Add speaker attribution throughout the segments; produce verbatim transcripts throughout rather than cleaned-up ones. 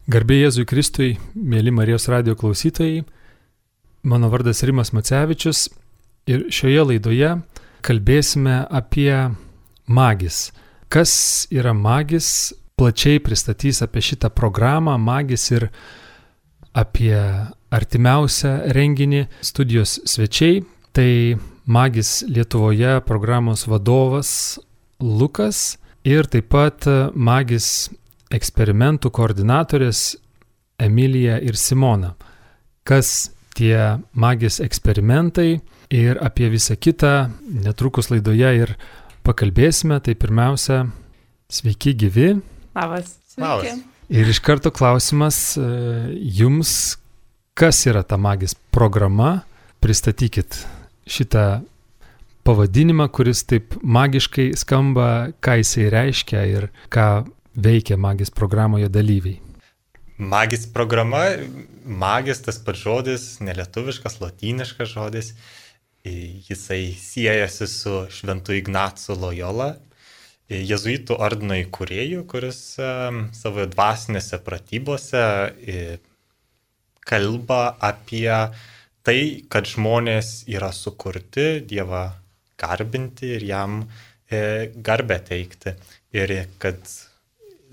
Speaker 1: Garbė Jėzui Kristui, mėly Marijos radijo klausytojai, mano vardas Rimas Macevičius ir šioje laidoje kalbėsime apie magis. Kas yra magis, plačiai pristatys apie šitą programą magis ir apie artimiausią renginį studijos svečiai. Tai magis Lietuvoje programos vadovas Lukas ir taip pat magis eksperimentų koordinatorės Emilija ir Simona. Kas tie magis eksperimentai ir apie visą kitą netrukus laidoje ir pakalbėsime. Tai pirmiausia, sveiki gyvi.
Speaker 2: Labas. Sveiki.
Speaker 1: Ir iš karto klausimas jums, kas yra ta magis programa? Pristatykit šitą pavadinimą, kuris taip magiškai skamba, ką jisai reiškia ir ką veikia magis programoje dalyviai.
Speaker 3: Magis programa, magis tas pats žodis, nelietuviškas, lotyniškas žodis, jisai siejasi su Šventu Ignacu Lojola, jėzuitų ordino įkūrėju, kuris savo dvasinėse pratybose kalba apie tai, kad žmonės yra sukurti Dievą garbinti ir jam garbę teikti ir kad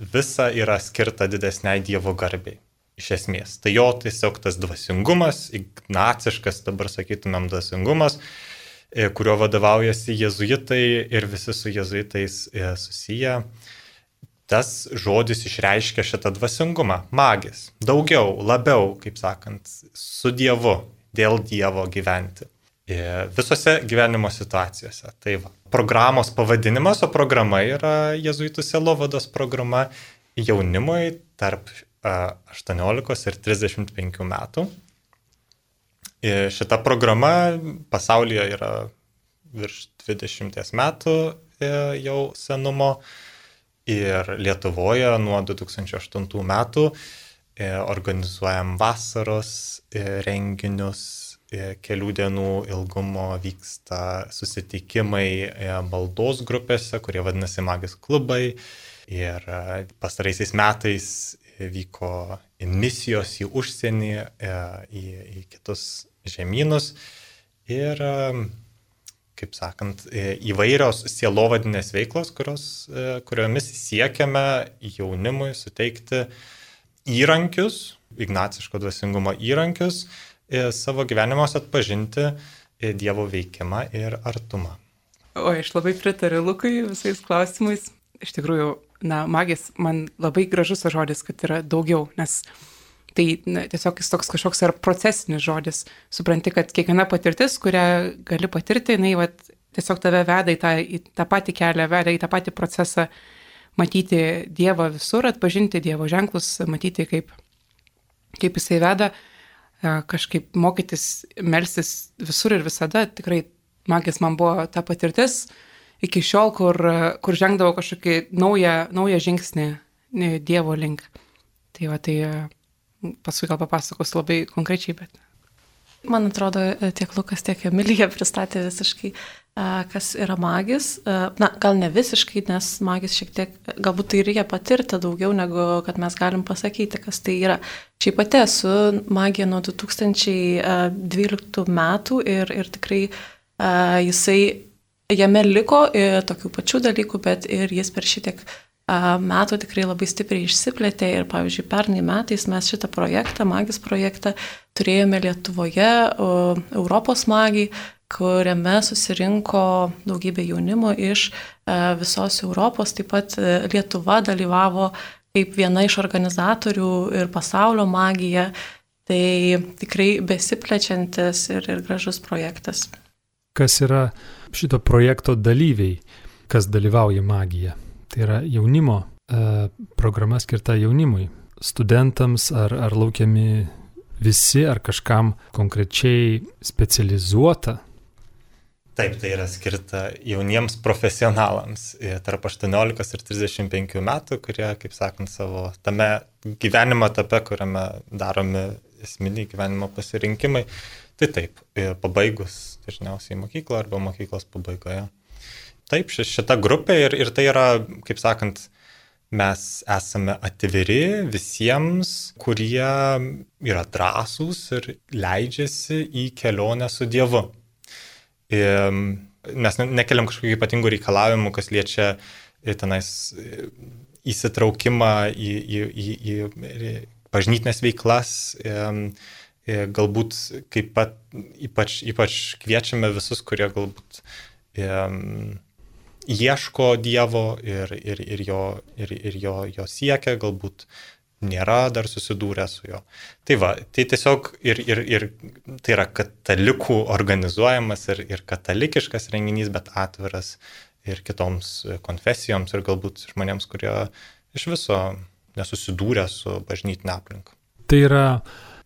Speaker 3: visa yra skirta didesniai Dievo garbei, iš esmės. Tai jo tiesiog tas dvasingumas, ignaciškas, dabar sakytumėm dvasingumas, kurio vadovaujasi jėzuitai ir visi su jėzuitais susiję. Tas žodis išreiškia šitą dvasingumą, magis, daugiau, labiau, kaip sakant, su Dievu, dėl Dievo gyventi. Visose gyvenimo situacijose. Tai va. Programos pavadinimas, o programa yra jėzuitų sielovados programa jaunimui tarp aštuoniolikos ir trisdešimt penkių metų. Šita programa pasaulyje yra virš dvidešimties metų jau senumo ir Lietuvoje nuo du tūkstančiai aštuntų metų organizuojam vasaros renginius. Kelių dienų ilgumo vyksta susitikimai maldos grupėse, kurie vadinasi magis klubai. Ir pastaraisiais metais vyko misijos į užsienį, į, į kitus žemynus. Ir, kaip sakant, įvairios sielovadinės veiklos, kurios, kuriomis siekiame jaunimui suteikti įrankius, ignaciško dvasingumo įrankius, savo gyvenimuose atpažinti Dievo veikimą ir artumą.
Speaker 2: O aš labai pritariu Lukui visais klausimais. Iš tikrųjų, na, magis man labai gražus žodis, kad yra daugiau, nes tai na, tiesiog jis toks kažkoks yra procesinis žodis. Supranti, kad kiekviena patirtis, kurią gali patirti, jinai vat, tiesiog tave veda į tą, į tą patį kelią, veda į tą patį procesą, matyti Dievą visur, atpažinti Dievo ženklus, matyti, kaip, kaip jisai veda. Kažkaip mokytis, melstis visur ir visada. Tikrai magis man buvo ta patirtis iki šiol, kur, kur žengdavo kažkokį naują, naują žingsnį Dievo link. Tai va, tai paskui gal papasakos labai konkrečiai, bet...
Speaker 4: Man atrodo, tiek Lukas, tiek Emilija pristatė visiškai, kas yra magis. Na, gal ne visiškai, nes magis šiek tiek, galbūt tai reikia patirti daugiau, negu kad mes galim pasakyti, kas tai yra. Šiaip pati esu magija nuo du tūkstančiai dvyliktų metų ir, ir tikrai jisai, jame liko tokių pačių dalykų, bet ir jis per šitiek metų tikrai labai stipriai išsiplėtė ir, pavyzdžiui, pernai metais mes šitą projektą, magis projektą, turėjome Lietuvoje, Europos magijai, kuriame susirinko daugybė jaunimo iš visos Europos, taip pat Lietuva dalyvavo kaip viena iš organizatorių ir pasaulio magija, tai tikrai besiplečiantis ir, ir gražus projektas.
Speaker 1: Kas yra šito projekto dalyviai, kas dalyvauja magija? Tai yra jaunimo e, programa skirta jaunimui, studentams ar, ar laukiami visi, ar kažkam konkrečiai specializuota?
Speaker 3: Taip, tai yra skirta jauniems profesionalams tarp aštuoniolikos ir trisdešimt penkių metų, kurie, kaip sakant, savo tame gyvenimo etape, kuriame daromi esminiai gyvenimo pasirinkimai, tai taip, pabaigus dažniausiai mokyklą arba mokyklos pabaigoje. Taip, šita grupė ir, ir tai yra, kaip sakant, mes esame atviri visiems, kurie yra drąsūs ir leidžiasi į kelionę su Dievu. Mes nekeliam kažkokių ypatingų reikalavimų, kas liečia tenais įsitraukimą į, į, į, į bažnytinės veiklas. Galbūt kaip pat ypač, ypač kviečiame visus, kurie galbūt ieško Dievo ir, ir, ir, jo, ir, ir jo, jo siekia, galbūt nėra dar susidūrę su juo. Tai va, tai tiesiog ir, ir, ir tai yra katalikų organizuojamas ir, ir katalikiškas renginys, bet atviras ir kitoms konfesijoms ir galbūt žmonėms, kurie iš viso nesusidūrė su bažnytinė aplinka.
Speaker 1: Tai yra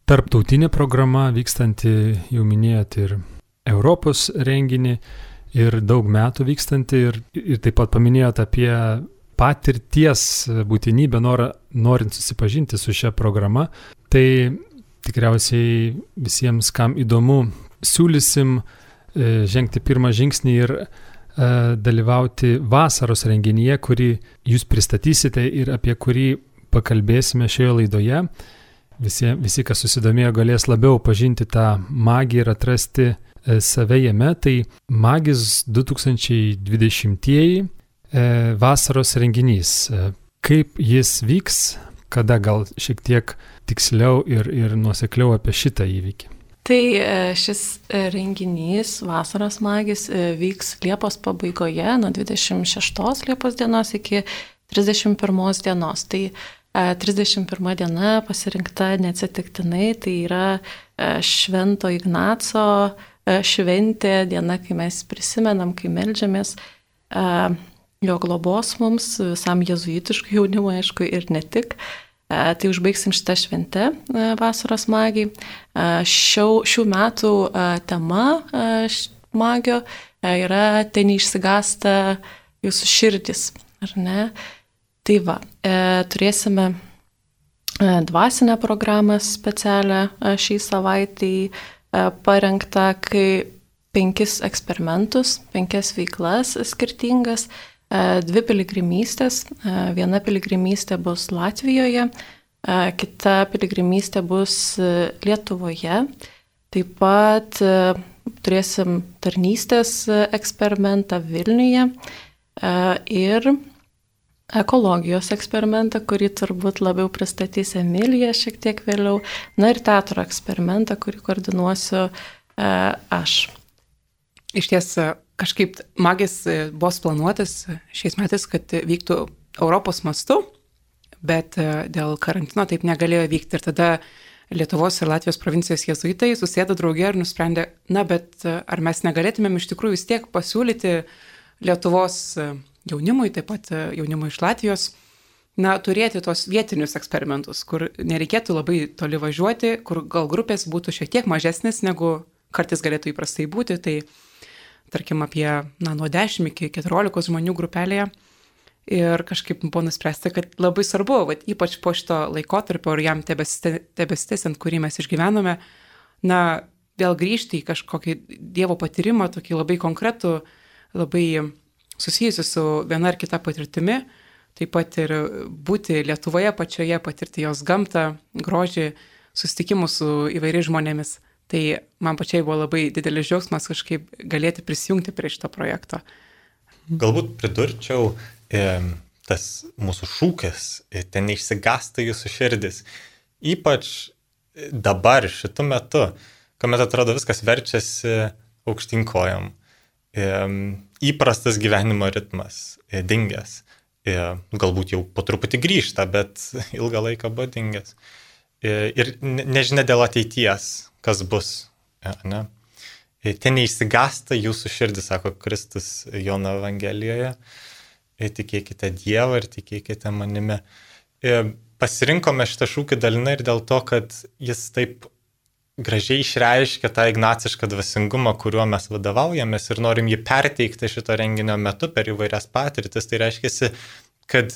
Speaker 1: tarptautinė programa vykstanti, jau minėjot, ir Europos renginį, ir daug metų vykstanti, ir, ir taip pat paminėjot apie patirties būtinybę, norą, norint susipažinti su šia programa. Tai tikriausiai visiems, kam įdomu, siūlysim e, žengti pirmą žingsnį ir e, dalyvauti vasaros renginyje, kurį jūs pristatysite ir apie kurį pakalbėsime šioje laidoje. Visi, visi, kas susidomėjo, galės labiau pažinti tą magiją ir atrasti e, save jame. Tai Magis du tūkstančiai dvidešimtieji e, vasaros renginys. E, kaip jis vyks, kada gal šiek tiek tiksliau ir, ir nuosekliau apie šitą įvykį.
Speaker 4: Tai šis renginys Vasaros Magis vyks Liepos pabaigoje, nuo dvidešimt šeštos Liepos dienos iki trisdešimt pirmos dienos. Tai trisdešimt pirma diena pasirinkta neatsitiktinai, tai yra Švento Ignaco šventė, diena, kai mes prisimenam, kai meldžiamės jo globos mums, visam jėzuitiškui jaunimui, aišku, ir ne tik. Tai užbaigsim šitą šventę Vasaros Magijai. Šių, šių metų tema magio yra "Te neišsigąsta jūsų širdis", ar ne? Tai va, turėsime dvasinę programą specialią šiai savaitai parengtą, kai penkis eksperimentus, penkias veiklas skirtingas, dvi piligrimystės. Viena piligrimystė bus Latvijoje, kita piligrimystė bus Lietuvoje. Taip pat turėsim tarnystės eksperimentą Vilniuje ir ekologijos eksperimentą, kurį turbūt labiau pristatys Emilija šiek tiek vėliau. Na ir teatro eksperimentą, kurį koordinuosiu aš.
Speaker 2: Iš ties, kažkaip Magis buvo planuotas šiais metais, kad vyktų Europos mastu, bet dėl karantino taip negalėjo vykti. Ir tada Lietuvos ir Latvijos provincijos jėzuitai susėdo drauge ir nusprendė, na, bet ar mes negalėtumėm iš tikrųjų vis tiek pasiūlyti Lietuvos jaunimui, taip pat jaunimui iš Latvijos, na, turėti tos vietinius eksperimentus, kur nereikėtų labai toli važiuoti, kur gal grupės būtų šiek tiek mažesnės, negu kartais galėtų įprastai būti. Tai tarkim apie na, nuo dešimt iki keturiolikos žmonių grupelėje. Ir kažkaip buvo nuspręsta, kad labai svarbu, vat, ypač po šito laikotarpio ir jam tebesitęsiant, kurį mes išgyvenome, na, vėl grįžti į kažkokį Dievo patyrimą, tokį labai konkretų, labai susijusi su viena ar kita patirtimi, taip pat ir būti Lietuvoje pačioje, patirti jos gamtą, grožį, susitikimus su įvairiais žmonėmis. Tai man pačiai buvo labai didelis džiaugsmas kažkaip galėti prisijungti prie šito projekto.
Speaker 3: Galbūt pridurčiau e, tas mūsų šūkis, e, ten neišsigąsta jūsų širdis. Ypač dabar, šitu metu, kuomet atrodo viskas verčiasi aukštyn kojom. E, įprastas gyvenimo ritmas, e, dingęs. E, galbūt jau po truputį grįžta, bet ilgą laiką buvo dingęs. E, ir nežinia dėl ateities, kas bus. E, ne? Ten neišsigąsta jūsų širdis, sako Kristus Jono Evangelijoje. Tikėkite Dievą ir tikėkite manimi. Pasirinkome šitą šūkį dalinai ir dėl to, kad jis taip gražiai išreiškia tą ignacišką dvasingumą, kuriuo mes vadovaujamės ir norim jį perteikti šito renginio metu per įvairias patirtis. Tai reiškia, kad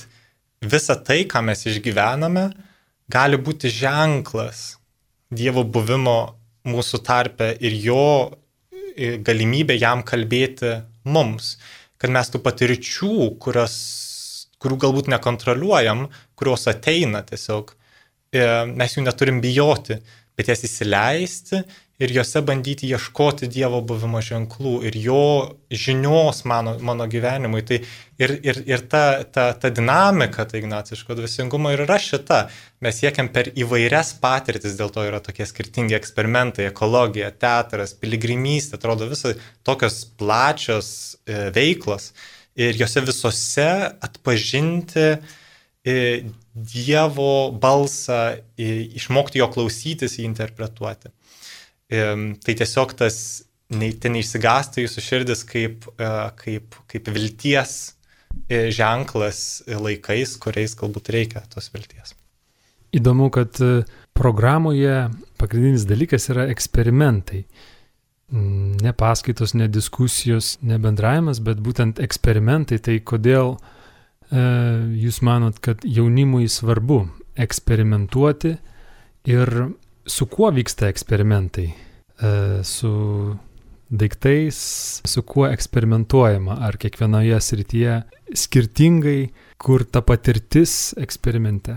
Speaker 3: visa tai, ką mes išgyvename, gali būti ženklas Dievo buvimo mūsų tarpe ir jo galimybė jam kalbėti mums, kad mes tų patirčių, kurios, kurių galbūt nekontroliuojam, kurios ateina tiesiog. Mes jų neturim bijoti, bet jas įsileisti ir juose bandyti ieškoti Dievo buvimo ženklų ir jo žinios mano, mano gyvenimui. Tai ir, ir, ir ta, ta, ta dinamika, tai ignaciško dvasingumo ir yra šita. Mes siekiam per įvairias patirtis, dėl to yra tokie skirtingi eksperimentai, ekologija, teatras, piligrimystė, atrodo visai tokios plačios e, veiklos. Ir jose visose atpažinti e, Dievo balsą, e, išmokti jo klausytis, jį interpretuoti. Tai tiesiog tas ne, ten neišsigąsta jūsų širdis kaip, kaip, kaip vilties ženklas laikais, kuriais galbūt reikia tos vilties.
Speaker 1: Įdomu, kad programoje pagrindinis dalykas yra eksperimentai. Ne paskaitos, ne diskusijos, ne bendravimas, bet būtent eksperimentai. Tai kodėl e, jūs manot, kad jaunimui svarbu eksperimentuoti ir su kuo vyksta eksperimentai? E, su daiktais, su kuo eksperimentuojama? Ar kiekvienoje srityje skirtingai, kur ta patirtis eksperimente?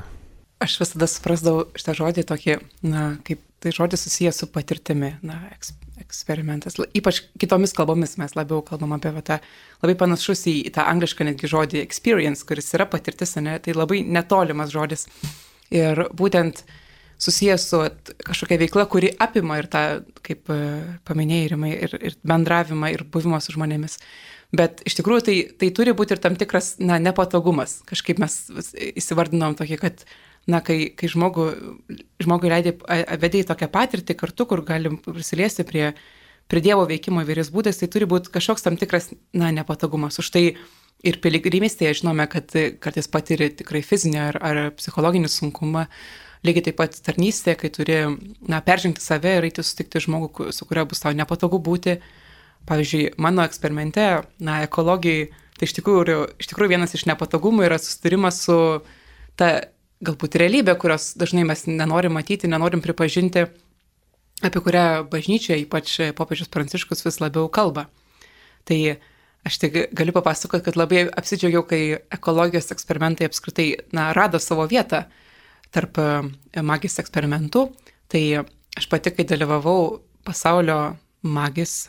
Speaker 2: Aš visada suprasdavau šitą žodį tokį, na, kaip tai žodis susijęs su patirtimi, na, eks, eksperimentas. Ypač kitomis kalbomis mes labiau kalbam apie tą, labai panašus į tą anglišką netgi žodį experience, kuris yra patirtis, ne, tai labai netolimas žodis. Ir būtent susijęs su kažkokia veikla, kuri apima ir tą, kaip paminėjai, Rimai, ir, ir bendravimą, ir buvimą su žmonėmis. Bet iš tikrųjų tai, tai turi būti ir tam tikras, na, nepatogumas. Kažkaip mes įsivardinom tokį, kad, na, kai, kai žmogų, žmogui leidė, vedė į tokią patirtį kartu, kur galim prisiliesti prie, prie Dievo veikimo įvairiais būdais, tai turi būti kažkoks tam tikras, na, nepatogumas. Už tai ir piligrimystėje žinome, kad kartais patiri tikrai fizinį ar, ar psichologinį sunkumą. Lygiai taip pat tarnystė, kai turi, na, peržengti save ir eiti sutikti žmogų, su kurio bus tau nepatogu būti. Pavyzdžiui, mano eksperimente, na, ekologijai, tai iš tikrųjų, iš tikrųjų vienas iš nepatogumų yra susitarimas su ta galbūt realybė, kurios dažnai mes nenorim matyti, nenorim pripažinti, apie kurią bažnyčia, ypač popiežius Pranciškus, vis labiau kalba. Tai aš tik galiu papasakoti, kad labai apsidžiaugiau, kai ekologijos eksperimentai apskritai, na, rado savo vietą tarp magijos eksperimentų. Tai aš pati, kai dalyvavau pasaulio magijos,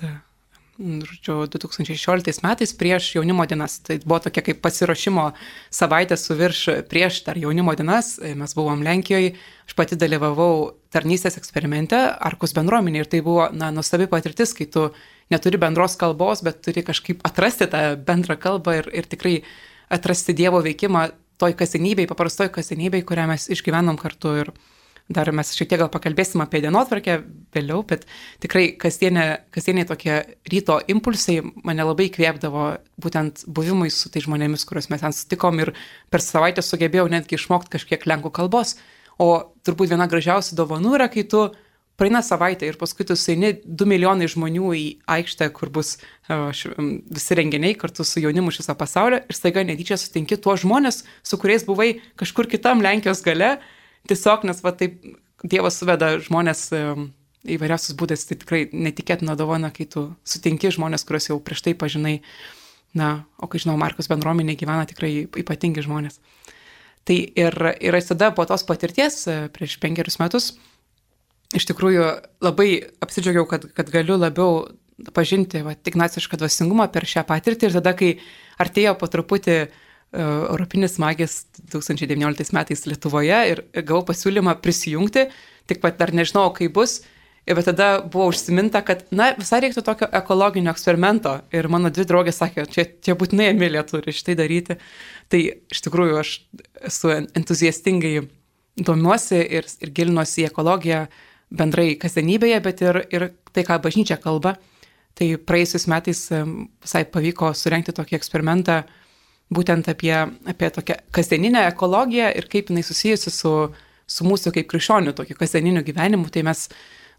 Speaker 2: žodžiu, du tūkstančiai šešioliktais metais prieš jaunimo dienas, tai buvo tokia kaip pasiruošimo savaitė su virš prieš dar jaunimo dienas, mes buvom Lenkijoje, aš pati dalyvavau tarnystės eksperimente Arkos bendruomenė ir tai buvo, na, nuostabi patirtis, kai tu neturi bendros kalbos, bet turi kažkaip atrasti tą bendrą kalbą ir, ir tikrai atrasti Dievo veikimą toj kasdienybėj, paprastoj kasdienybėj, kurią mes išgyvenom kartu ir dar mes šiek tiek gal pakalbėsim apie dienotvarkę vėliau, bet tikrai kasdienė, kasdieniai tokie ryto impulsai mane labai įkvėpdavo būtent buvimui su tai žmonėmis, kuriuos mes ten sutikom ir per savaitę sugebėjau netgi išmokti kažkiek lenkų kalbos, o turbūt viena gražiausių dovanų yra, kai tu praeina savaitę ir paskui tu sueini du milijonai žmonių į aikštę, kur bus š, visi renginiai kartu su jaunimu iš viso pasaulio ir staiga netyčia sutinki tuos žmonės, su kuriais buvai kažkur kitam Lenkijos gale, tiesiog, nes va taip Dievas suveda žmonės įvairiausius būdais, tai tikrai netikėtina dovana, kai tu sutinki žmonės, kuriuos jau prieš tai pažinai, na, o kai žinau, Markos bendruomenė gyvena tikrai ypatingi žmonės. Tai ir, ir tada po tos patirties prieš penkerius metus iš tikrųjų labai apsidžiaugiau, kad, kad galiu labiau pažinti va, ignacišką dvasingumą per šią patirtį ir tada, kai artėjo po truputį uh, Europinis magijos du tūkstančiai devynioliktais metais Lietuvoje ir gavau pasiūlymą prisijungti, tik pat dar nežinau, kaip bus, bet tada buvo užsiminta, kad, na, visai reiktų tokio ekologinio eksperimento ir mano dvi draugės sakė, čia, čia būtinai Emilija turi šitai daryti. Tai iš tikrųjų aš esu entuziastingai domiuosi ir, ir gilinuosi į ekologiją, bendrai kasdienybėje, bet ir, ir tai, ką bažnyčia kalba. Tai praėjusiais metais visai pavyko surengti tokį eksperimentą būtent apie, apie tokią kasdieninę ekologiją ir kaip jinai susijusi su, su mūsų kaip krikščionių tokiu kasdieniniu gyvenimu. Tai mes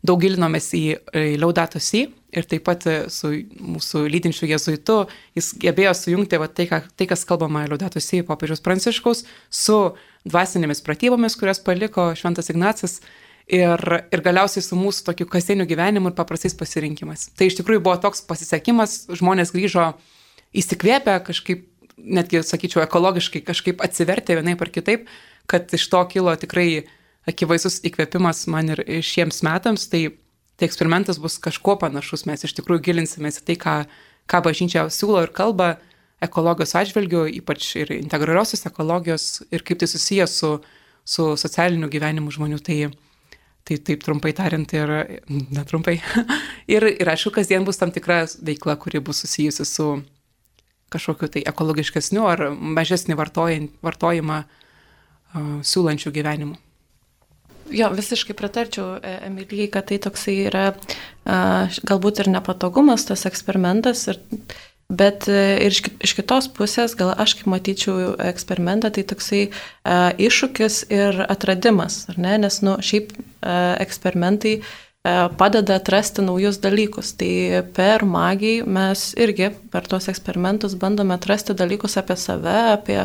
Speaker 2: daug gilinomės į, į Laudato Si ir taip pat su mūsų lydinčiu jėzuitu. Jis gebėjo sujungti va, tai, ką, tai, kas kalbama Laudato Si popiežiaus Pranciškaus, su dvasinėmis pratybomis, kurias paliko Šventas Ignacas. Ir, ir galiausiai su mūsų tokiu kasdieniu gyvenimu ir paprastais pasirinkimais. Tai iš tikrųjų buvo toks pasisekimas, žmonės grįžo įsikvėpę, kažkaip netgi, sakyčiau, ekologiškai kažkaip atsivertė vienaip ar kitaip, kad iš to kilo tikrai akivaizdus įkvėpimas man ir šiems metams, tai, tai eksperimentas bus kažkuo panašus, mes iš tikrųjų gilinsimės į tai, ką, ką bažnyčia siūlo ir kalba ekologijos atžvilgiu, ypač ir integraliosios ekologijos ir kaip tai susijęs su, su socialiniu gyvenimu žmonių, tai Tai taip trumpai tariant ir netrumpai. ir, ir aišku, kasdien bus tam tikra veikla, kuri bus susijusi su kažkokiu tai ekologiškesniu ar mažesnį vartojimą uh, siūlančių gyvenimu.
Speaker 4: Jo, visiškai pritarčiau Emilijai, kad tai toksai yra uh, galbūt ir nepatogumas tas eksperimentas, ir, bet ir iš, iš kitos pusės, gal aš kaip matyčiau eksperimentą, tai toksai uh, iššūkis ir atradimas, ar ne? Nes nu, šiaip uh, eksperimentai uh, padeda atrasti naujus dalykus. Tai per magiją mes irgi per tuos eksperimentus bandome atrasti dalykus apie save, apie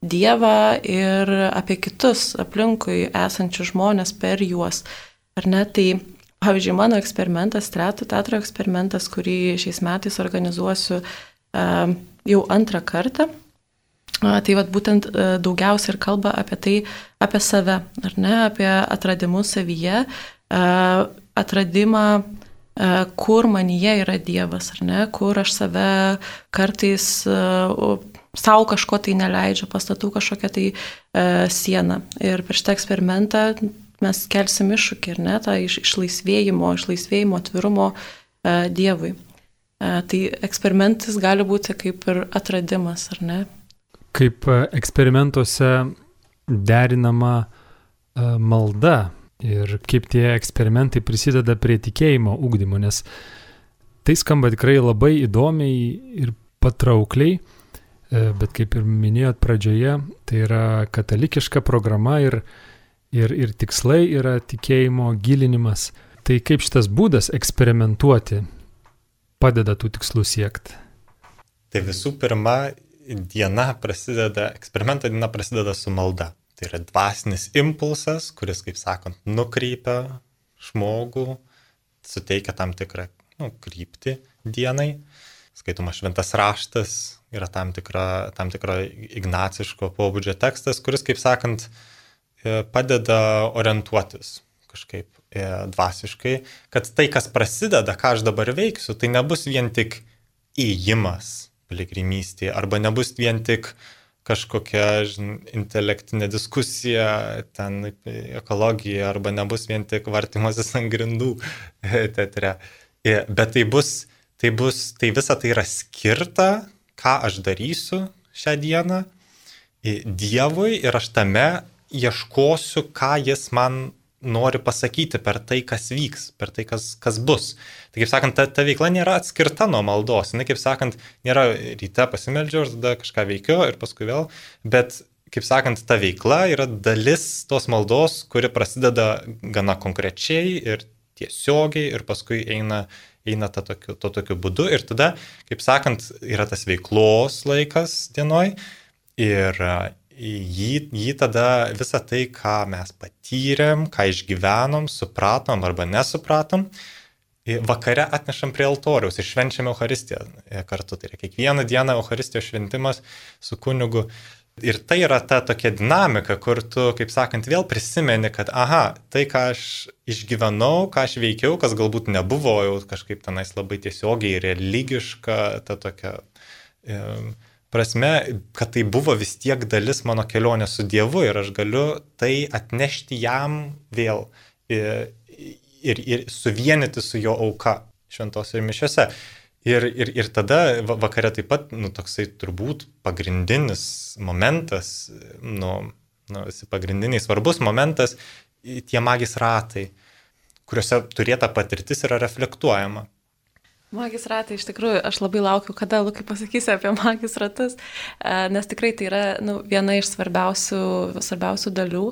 Speaker 4: Dievą ir apie kitus aplinkui esančius žmonės per juos. Ar ne? Tai pavyzdžiui, mano eksperimentas, Stretų teatro eksperimentas, kurį šiais metais organizuosiu uh, jau antrą kartą, uh, tai vat, būtent uh, daugiausia ir kalba apie tai, apie save, ar ne, apie atradimus savyje, uh, atradimą, uh, kur manyje yra Dievas, ar ne, kur aš save kartais uh, savo kažko tai neleidžiu, pastatau kažkokią tai uh, sieną. Ir per šitą eksperimentą mes kelsim iššūkį, ir ne, tą iš, išlaisvėjimo, išlaisvėjimo atvirumo uh, Dievui. Uh, tai eksperimentas gali būti kaip ir atradimas, ar ne?
Speaker 1: Kaip eksperimentuose derinama uh, malda ir kaip tie eksperimentai prisideda prie tikėjimo ugdymo, nes tai skamba tikrai labai įdomiai ir patraukliai, uh, bet kaip ir minėjot pradžioje, tai yra katalikiška programa ir Ir, ir tikslai yra tikėjimo gilinimas. Tai kaip šitas būdas eksperimentuoti padeda tų tikslų siekti?
Speaker 3: Tai visų pirma, diena prasideda, eksperimento diena prasideda su malda. Tai yra dvasinis impulsas, kuris, kaip sakant, nukreipia žmogų, suteikia tam tikrą nu, kryptį dienai. Skaitoma šventas raštas, yra tam tikra, tam tikra ignaciško pobūdžio tekstas, kuris, kaip sakant, padeda orientuotis kažkaip dvasiškai, kad tai, kas prasideda, ką aš dabar veiksiu, tai nebus vien tik įėjimas piligrimystėje, arba nebus vien tik kažkokia žin, intelektinė diskusija, ten ekologija, arba nebus vien tik vartymasis ant grindų teatre. Bet tai bus, tai bus, tai visa tai yra skirta, ką aš darysiu šią dieną Dievui, ir aš tame ieškosiu, ką jis man nori pasakyti per tai, kas vyks, per tai, kas, kas bus. Tai, kaip sakant, ta, ta veikla nėra atskirta nuo maldos. Jis, kaip sakant, nėra ryte pasimeldžiu, ir tada kažką veikiu ir paskui vėl. Bet, kaip sakant, ta veikla yra dalis tos maldos, kuri prasideda gana konkrečiai ir tiesiogiai ir paskui eina, eina ta tokiu, to tokiu būdu. Ir tada, kaip sakant, yra tas veiklos laikas dienoj ir Jį, jį tada visą tai, ką mes patyrėm, ką išgyvenom, supratom arba nesupratom, vakare atnešam prie altoriaus ir švenčiame Eucharistiją kartu. Tai yra kiekvieną dieną Eucharistijos šventimas su kunigu. Ir tai yra ta tokia dinamika, kur tu, kaip sakant, vėl prisimeni, kad aha, tai, ką aš išgyvenau, ką aš veikiau, kas galbūt nebuvo jau kažkaip tenais labai tiesiogiai religiška, ta tokia E, prasme, kad tai buvo vis tiek dalis mano kelionės su Dievu ir aš galiu tai atnešti jam vėl ir, ir, ir suvienyti su jo auka šventose mišiose. Ir, ir, ir tada vakare taip pat, nu, toksai turbūt pagrindinis momentas, nu, nu, pagrindiniai svarbus momentas, tie magijos ratai, kuriuose turėta patirtis yra reflektuojama.
Speaker 4: Magijos ratai, iš tikrųjų, aš labai laukiu, kada Lukai pasakysi apie magijos ratus, nes tikrai tai yra nu, viena iš svarbiausių, svarbiausių dalių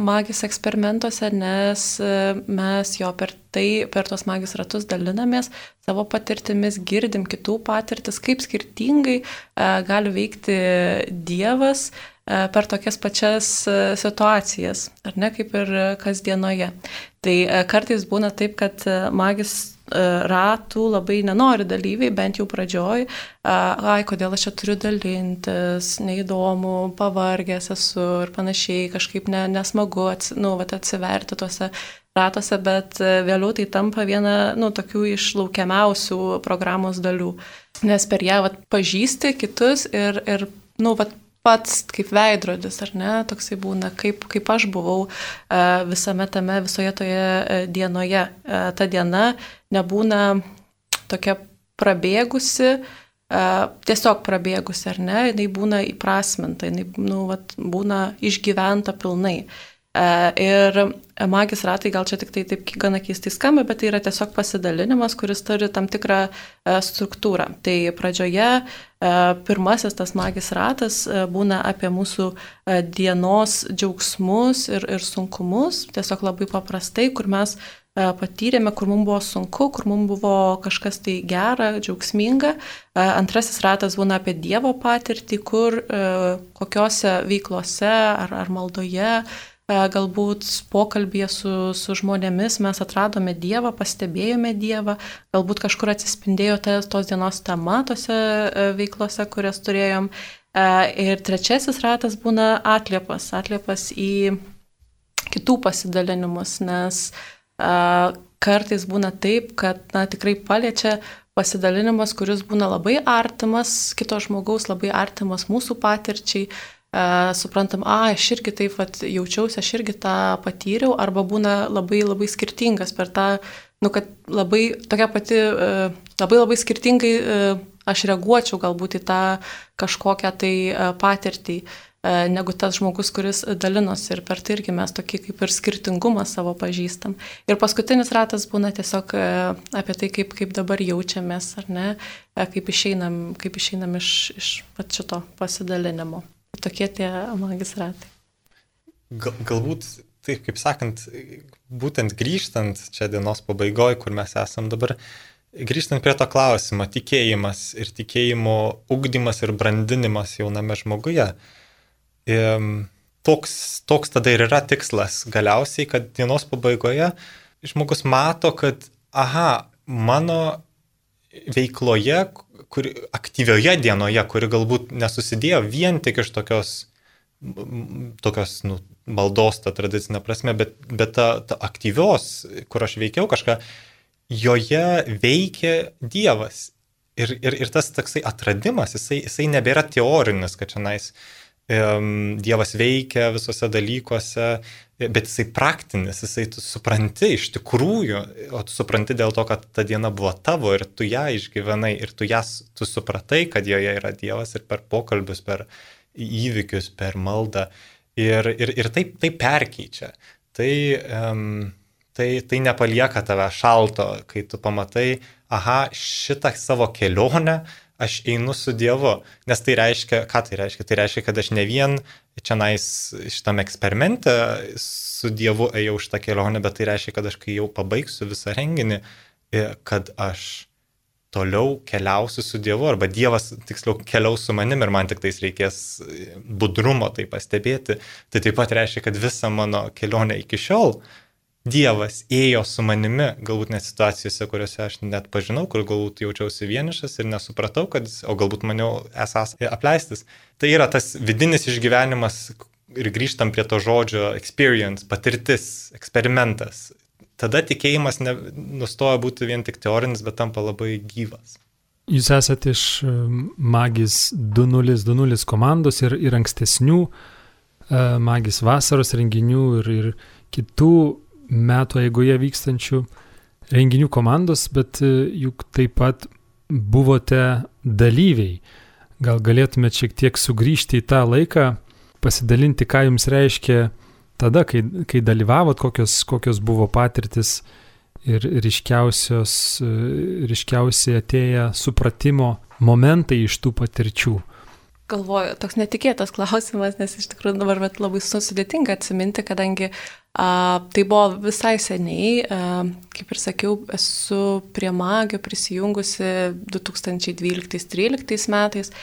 Speaker 4: magijos eksperimentuose, nes mes jo per tai, per tos magijos ratus dalinamės savo patirtimis, girdim kitų patirtis, kaip skirtingai gali veikti Dievas per tokias pačias situacijas, ar ne, kaip ir kasdienoje. Tai kartais būna taip, kad magijos ratų labai nenori dalyviai, bent jau pradžioj, ai, kodėl aš čia turiu dalintis, neįdomu, pavargęs esu ir panašiai, kažkaip ne, nesmagu ats, nu, vat, atsiverti tuose ratuose, bet vėliau tai tampa viena, nu, tokių iš laukiamiausių programos dalių, nes per ją vat, pažįsti kitus ir, ir nu, vat, pats kaip veidrodis, ar ne, toksai būna, kaip, kaip aš buvau visame tame, visoje toje dienoje. Ta diena nebūna tokia prabėgusi, tiesiog prabėgusi, ar ne, jinai būna įprasminta, jinai nu, vat, būna išgyventa pilnai. Ir magijos ratai gal čia tik tai taip gana keistai skamba, bet tai yra tiesiog pasidalinimas, kuris turi tam tikrą struktūrą. Tai pradžioje pirmasis tas magijos ratas būna apie mūsų dienos džiaugsmus ir, ir sunkumus, tiesiog labai paprastai, kur mes patyrėme, kur mums buvo sunku, kur mums buvo kažkas tai gera, džiaugsminga. Antrasis ratas būna apie Dievo patirtį, kur kokiose veiklose ar, ar maldoje, galbūt pokalbėje su, su žmonėmis mes atradome Dievą, pastebėjome Dievą, galbūt kažkur atsispindėjo tos dienos tema tose veiklose, kurias turėjom. Ir trečiasis ratas būna atliepas, atliepas į kitų pasidalinimus, nes kartais būna taip, kad na, tikrai paliečia pasidalinimas, kuris būna labai artimas kito žmogaus, labai artimas mūsų patirčiai. Uh, suprantam, a, aš irgi taip vat, jaučiausi, aš irgi tą patyriau, arba būna labai labai skirtingas per tą, nu, kad labai tokia pati, uh, labai labai skirtingai uh, aš reaguočiau galbūt į tą kažkokią tai uh, patirtį, uh, negu tas žmogus, kuris dalinosi ir per tai irgi mes tokį kaip ir skirtingumą savo pažįstam. Ir paskutinis ratas būna tiesiog uh, apie tai, kaip, kaip dabar jaučiamės, ar ne, uh, kaip išeinam, kaip išeinam iš, iš pat šito pasidalinimo. Tokie tie magijos ratai.
Speaker 3: Gal, galbūt, taip kaip sakant, būtent grįžtant čia dienos pabaigoje, kur mes esam dabar, grįžtant prie to klausimo, tikėjimas ir tikėjimo ugdymas ir brandinimas jauname žmoguje, toks, toks tada ir yra tikslas galiausiai, kad dienos pabaigoje žmogus mato, kad aha, mano veikloje, kuri, aktyvioje dienoje, kuri galbūt nesusidėjo vien tik iš tokios, tokios nu, maldos, ta tradicinė prasme, bet, bet ta, ta aktyvios, kur aš veikiau kažką, joje veikia Dievas. Ir, ir, ir tas toksai atradimas, jisai, jisai nebėra teorinis, kad šiandien um, Dievas veikia visose dalykuose, bet jisai praktinis, jisai tu supranti iš tikrųjų, o tu supranti dėl to, kad ta diena buvo tavo ir tu ją išgyvenai ir tu, jas, tu supratai, kad joje yra Dievas ir per pokalbius, per įvykius, per maldą ir, ir, ir tai, tai perkeičia. Tai, um, tai, tai nepalieka tave šalto, kai tu pamatai, aha, šitą savo kelionę aš einu su Dievu, nes tai reiškia, ką tai reiškia? Tai reiškia, kad aš ne vien čianais šitame eksperimente su Dievu ėjau šitą kelionę, bet tai reiškia, kad aš kai jau pabaigsiu visą renginį, kad aš toliau keliausiu su Dievu, arba Dievas tiksliau keliaus su manim ir man tik tais reikės budrumo tai pastebėti. Tai taip pat reiškia, kad visa mano kelionė iki šiol Dievas ėjo su manimi, galbūt net situacijose, kuriuose aš net pažinau, kur galbūt jaučiausi vienišas ir nesupratau, kad, o galbūt maniau esas apleistas. Tai yra tas vidinis išgyvenimas ir grįžtam prie to žodžio experience, patirtis, eksperimentas. Tada tikėjimas ne, nustoja būti vien tik teorinis, bet tampa labai gyvas.
Speaker 1: Jūs esate iš Magis du nulis du nulis komandos ir, ir ankstesnių Magis vasaros renginių ir, ir kitų metų eigoje vykstančių renginių komandos, bet juk taip pat buvote dalyviai. Gal galėtumėte šiek tiek sugrįžti į tą laiką, pasidalinti, ką jums reiškia tada, kai, kai dalyvavot, kokios, kokios buvo patirtis ir ryškiausios, ryškiausiai atėję supratimo momentai iš tų patirčių.
Speaker 4: Galvoju, toks netikėtas klausimas, nes iš tikrųjų dabar labai sudėtinga atsiminti, kadangi a, tai buvo visai seniai, a, kaip ir sakiau, esu prie Magio prisijungusi du tūkstančiai dvyliktais tryliktais metais.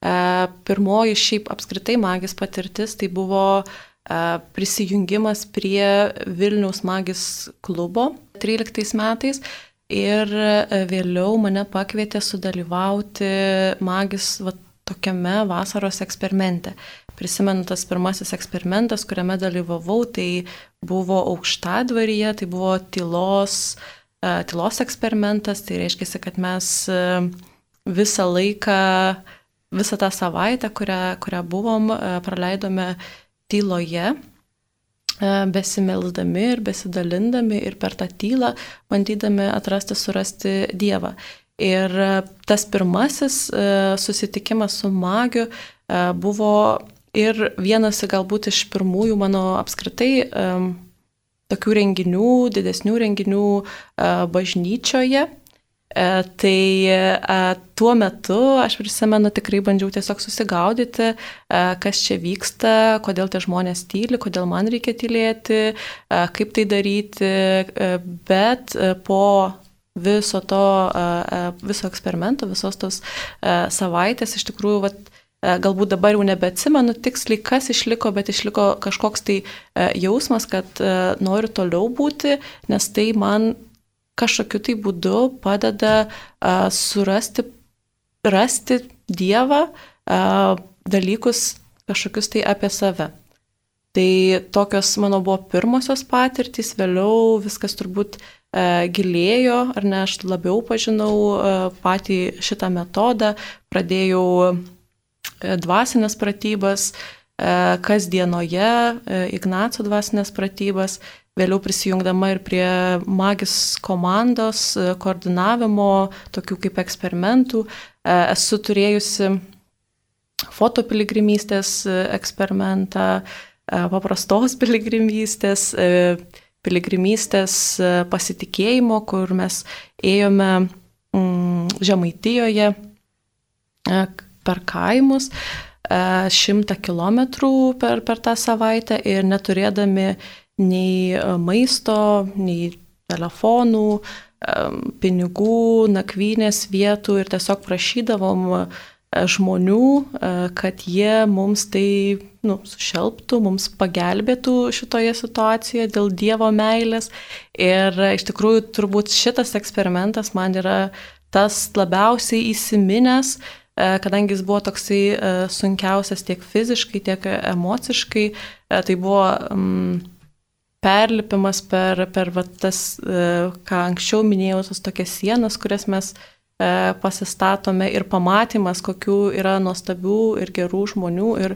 Speaker 4: A, pirmoji šiaip apskritai Magis patirtis tai buvo a, prisijungimas prie Vilniaus Magis klubo tryliktais metais. ir vėliau mane pakvietė sudalyvauti magis va, tokiame vasaros eksperimente. Prisimenu, tas pirmasis eksperimentas, kuriame dalyvavau, tai buvo Aukštadvaryje, tai buvo tylos, tylos eksperimentas, tai reiškia, kad mes visą laiką, visą tą savaitę, kurią, kurią buvom, praleidome tyloje, besimelsdami ir besidalindami ir per tą tylą bandydami atrasti, surasti Dievą. Ir tas pirmasis susitikimas su magiu buvo ir vienas galbūt iš pirmųjų mano apskritai tokių renginių, didesnių renginių bažnyčioje. Tai tuo metu aš prisimenu, tikrai bandžiau tiesiog susigaudyti, kas čia vyksta, kodėl tie žmonės tyli, kodėl man reikia tylėti, kaip tai daryti, bet po viso to, viso eksperimento, visos tos savaitės, iš tikrųjų, vat, galbūt dabar jau nebeatsimenu tiksliai, kas išliko, bet išliko kažkoks tai jausmas, kad noriu toliau būti, nes tai man kažkokiu tai būdu padeda uh, surasti, rasti Dievą, uh, dalykus kažkokius tai apie save. Tai tokios mano buvo pirmosios patirtys, vėliau viskas turbūt uh, gilėjo, ar ne, aš labiau pažinau uh, patį šitą metodą, pradėjau uh, dvasinės pratybas, uh, kasdienoje, uh, Ignaco dvasinės pratybas, vėliau prisijungdama ir prie magis komandos koordinavimo, tokių kaip eksperimentų. Esu turėjusi fotopiligrimystės eksperimentą, paprastos piligrimystės, piligrimystės pasitikėjimo, kur mes ėjome Žemaitijoje per kaimus šimtą kilometrų per, per tą savaitę ir neturėdami nei maisto, nei telefonų, pinigų, nakvynės vietų ir tiesiog prašydavom žmonių, kad jie mums tai nu, sušelptų, mums pagelbėtų šitoje situacijoje dėl Dievo meilės. Ir iš tikrųjų turbūt šitas eksperimentas man yra tas labiausiai įsiminęs, kadangi jis buvo toksai sunkiausias tiek fiziškai, tiek emociškai. Tai buvo um, perlipimas per, per va, tas, ką anksčiau minėjau, tas tokias sienas, kurias mes pasistatome ir pamatymas, kokių yra nuostabių ir gerų žmonių ir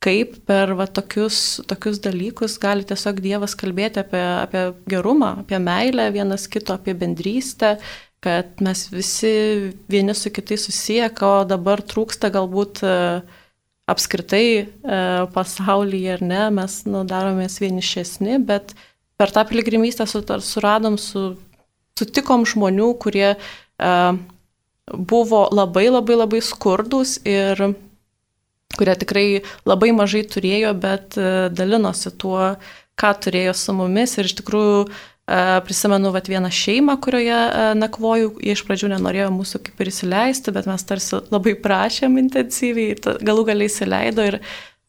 Speaker 4: kaip per va, tokius, tokius dalykus gali tiesiog Dievas kalbėti apie, apie gerumą, apie meilę vienas kito, apie bendrystę, kad mes visi vieni su kitais susiję, ko dabar trūksta galbūt apskritai e, pasaulyje, ar ne, mes nu, daromės vienišesni, bet per tą piligrimystę suradom, su, sutikom žmonių, kurie e, buvo labai labai labai skurdus ir kurie tikrai labai mažai turėjo, bet e, dalinosi tuo, ką turėjo su mumis ir iš tikrųjų prisimenu vat, vieną šeimą, kurioje nakvojau, jie iš pradžių nenorėjo mūsų kaip ir įsileisti, bet mes tarsi labai prašėm intensyviai, galų galiai įsileido ir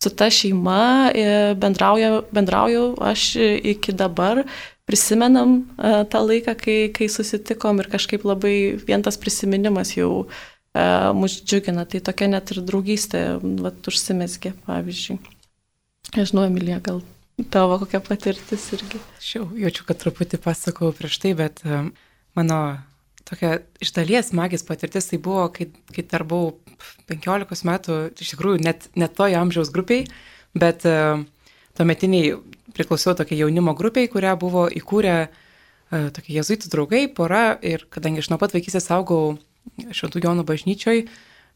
Speaker 4: su ta šeima bendrauju, bendrauju aš iki dabar, prisimenam tą laiką, kai, kai susitikom ir kažkaip labai vien tas prisiminimas jau mus džiugina, tai tokia net ir draugystė vat, užsimezgė, pavyzdžiui. Nežinau, Emilija, gal tavo kokia patirtis irgi.
Speaker 2: Aš jau jaučiu, kad truputį pasakau prieš tai, bet um, mano tokia iš dalies magijos patirtis tai buvo, kai, kai dar buvau penkiolikos metų, iš tikrųjų net, net toje amžiaus grupiai, bet uh, tuometiniai priklausiau tokiai jaunimo grupiai, kurią buvo įkūrę uh, tokie jėzuitų draugai, pora ir kadangi aš nuo pat vaikystės augau Šventų Jonų bažnyčioj,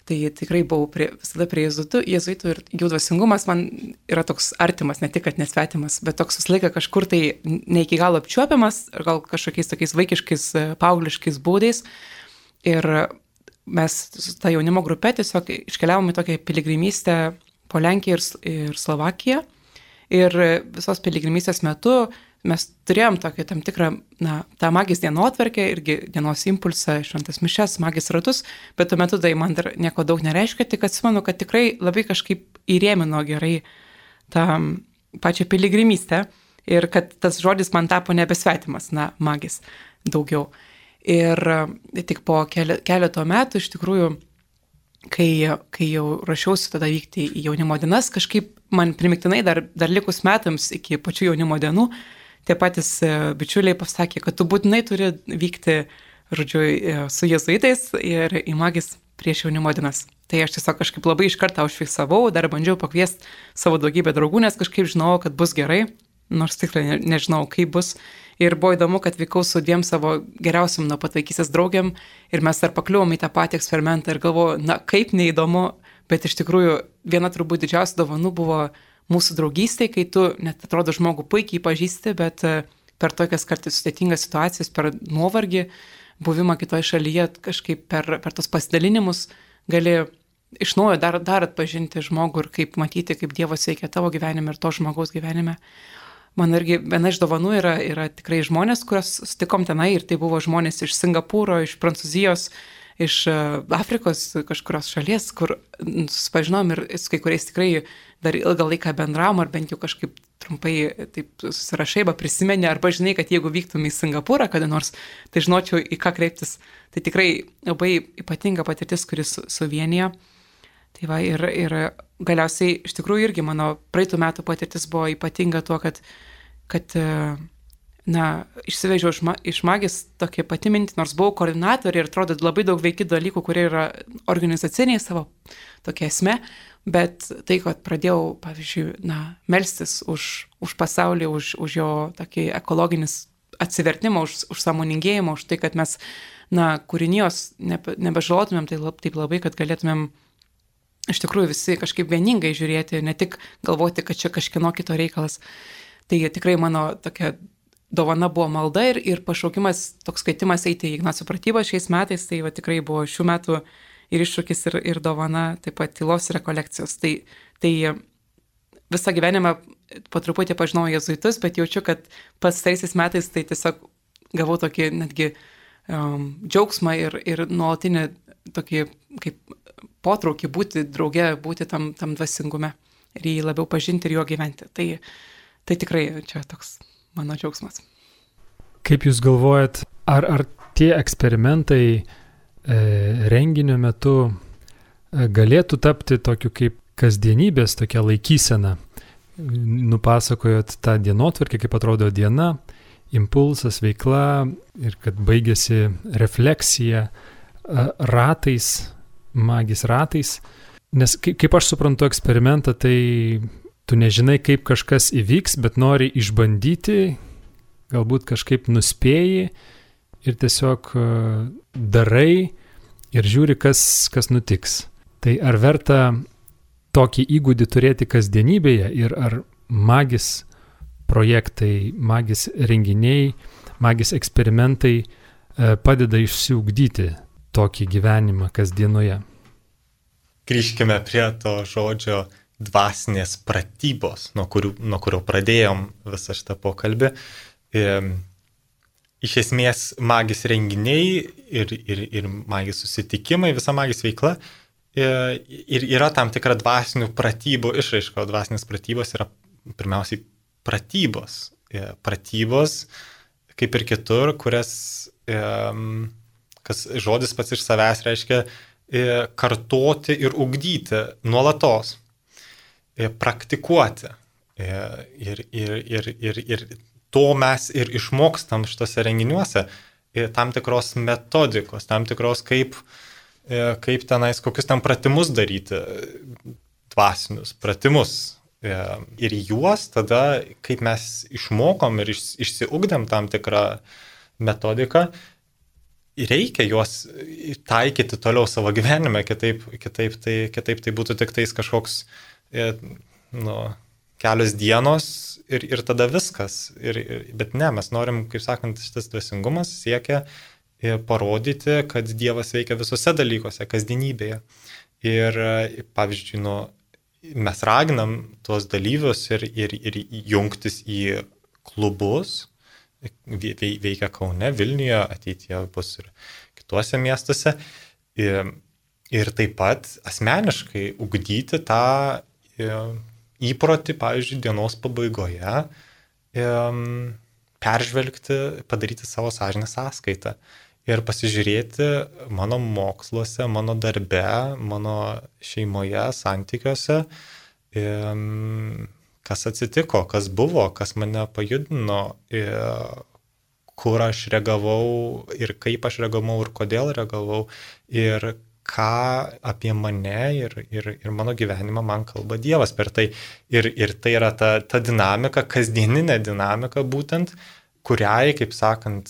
Speaker 2: tai tikrai buvau prie, visada prie jėzuitų, jėzuitų ir jų dvasingumas man yra toks artimas, ne tik, kad nesvetimas, bet toks visą laiką kažkur tai ne iki galo apčiuopiamas, ar gal kažkokiais tokiais vaikiškais, paaugliškais būdais. Ir mes su ta jaunimo grupe tiesiog iškeliavome į tokią piligrimystę po Lenkiją ir, ir Slovakiją. Ir visos piligrimystės metu mes turėjom tokį tam tikrą, na, tą magijos dienotvarkę, irgi dienos impulsą, šventas mišes, magijos ratus, bet tuo metu tai man dar nieko daug nereiškia, tik atsimenu, kad tikrai labai kažkaip įrėmino gerai tą pačią piligrimystę ir kad tas žodis man tapo nebesvetimas, na, magijos daugiau. Ir tik po keleto metų iš tikrųjų, kai, kai jau rašiausi tada vykti į jaunimo dienas, kažkaip man primiktinai dar, dar likus metams iki pačių jaunimo dienų, tie patys bičiuliai pasakė, kad tu būtinai turi vykti, žodžiu, su jėzuitais ir į magis prieš jaunimo dienas. Tai aš tiesiog kažkaip labai iš karto užfiksavau, dar bandžiau pakviesti savo daugybę draugų, nes kažkaip žinojau, kad bus gerai, nors tikrai ne, nežinau, kaip bus. Ir buvo įdomu, kad vykau su dviem savo geriausiam nuo pat vaikystės draugiam ir mes dar pakliuvom į tą patį eksperimentą ir galvoju, na kaip neįdomu, bet iš tikrųjų viena turbūt didžiausia dovanų buvo mūsų draugystė, kai tu net atrodo žmogų puikiai pažįsti, bet per tokias kartais sudėtingas situacijas, per nuovargį, buvimą kitoje šalyje, kažkaip per, per tos pasidalinimus gali iš naujo dar, dar atpažinti žmogų ir kaip matyti, kaip Dievas veikia tavo gyvenime ir to žmogaus gyvenime. Man irgi viena iš dovanų yra, yra tikrai žmonės, kuriuos sutikom tenai ir tai buvo žmonės iš Singapūro, iš Prancūzijos, iš Afrikos kažkurios šalies, kur susipažinom ir su kai kuriais tikrai dar ilgą laiką bendravom, ar bent jau kažkaip trumpai taip susirašai, arba prisimeni, arba žinai, kad jeigu vyktum į Singapūrą kada nors, tai žinočiau, į ką kreiptis. Tai tikrai labai ypatinga patirtis, kuris suvienija. Tai va, ir, ir galiausiai iš tikrųjų irgi mano praeitų metų patirtis buvo ypatinga tuo, kad, kad na, išsivežiau iš, ma, iš magis tokia pati mintį, nors buvau koordinatorė ir atrodo labai daug veiki dalykų, kurie yra organizaciniai savo tokia esmė, bet tai, kad pradėjau, pavyzdžiui, na, melstis už, už pasaulį, už, už jo tokį ekologinis atsivertimą, už, už sąmoningėjimą, už tai, kad mes, na, kūrinijos nebe, nebežalotumėm tai lab, taip labai, kad galėtumėm iš tikrųjų visi kažkaip vieningai žiūrėti, ne tik galvoti, kad čia kažkieno kito reikalas. Tai tikrai mano tokia dovana buvo malda ir, ir pašaukimas, toks skaitimas eiti į Ignaco pratybą šiais metais, tai va, tikrai buvo šių metų ir iššūkis, ir, ir dovana, taip pat tylos ir rekolekcijos. Tai, tai visą gyvenimą po truputį pažinojau jėzuitus, bet jaučiu, kad pastaraisiais metais tai tiesiog gavau tokį netgi um, džiaugsmą ir, ir nuolatinį tokį kaip potraukį būti drauge, būti tam, tam dvasingume ir jį labiau pažinti ir juo gyventi. Tai, tai tikrai čia toks mano džiaugsmas.
Speaker 1: Kaip Jūs galvojat, ar, ar tie eksperimentai e, renginio metu e, galėtų tapti tokiu kaip kasdienybės tokia laikysena? Nupasakojot tą dienotvarkę, kaip atrodo diena, impulsas, veikla ir kad baigėsi refleksija ratais, magis ratais, nes kaip aš suprantu eksperimentą, tai tu nežinai, kaip kažkas įvyks, bet nori išbandyti, galbūt kažkaip nuspėji ir tiesiog darai ir žiūri, kas, kas nutiks. Tai ar verta tokį įgūdį turėti kasdienybėje ir ar magis projektai, magis renginiai, magis eksperimentai padeda išsiugdyti tokį gyvenimą kasdienoje?
Speaker 3: Grįžkime prie to žodžio dvasinės pratybos, nuo, kurių, nuo kurio pradėjom visą šitą pokalbį. E, iš esmės magis renginiai ir, ir, ir magis susitikimai, visa magis veikla e, ir yra tam tikra dvasinių pratybų išraiška, o dvasinės pratybos yra pirmiausiai pratybos. E, pratybos, kaip ir kitur, kurias e, kas žodis pats iš savęs reiškia e, kartoti ir ugdyti nuolatos, e, praktikuoti. E, ir, ir, ir, ir, ir to mes ir išmokstam šitose renginiuose, e, tam tikros metodikos, tam tikros kaip, e, kaip tenais, kokius ten pratimus daryti, dvasinius pratimus. E, ir juos tada, kaip mes išmokom ir iš, išsiugdėm tam tikrą metodiką, reikia juos taikyti toliau savo gyvenime, kitaip, kitaip, tai, kitaip tai būtų tik tais kažkoks nu, kelios dienos ir, ir tada viskas. Ir, ir, bet ne, mes norim, kaip sakant, šitas dvasingumas siekia parodyti, kad Dievas veikia visose dalykuose, kasdienybėje. Ir pavyzdžiui, nu, mes raginam tuos dalyvius ir, ir, ir jungtis į klubus, veikia Kaune, Vilniuje, ateityje bus ir kituose miestuose. Ir, ir taip pat asmeniškai ugdyti tą įprotį, pavyzdžiui, dienos pabaigoje, peržvelgti, padaryti savo sąžinės sąskaitą ir pasižiūrėti mano moksluose, mano darbe, mano šeimoje, santykiuose, kas atsitiko, kas buvo, kas mane pajudino, kur aš reagavau ir kaip aš reagavau ir kodėl reagavau ir ką apie mane ir, ir, ir mano gyvenimą man kalba Dievas per tai. Ir, ir tai yra ta, ta dinamika, kasdieninė dinamika būtent, kuriai, kaip sakant,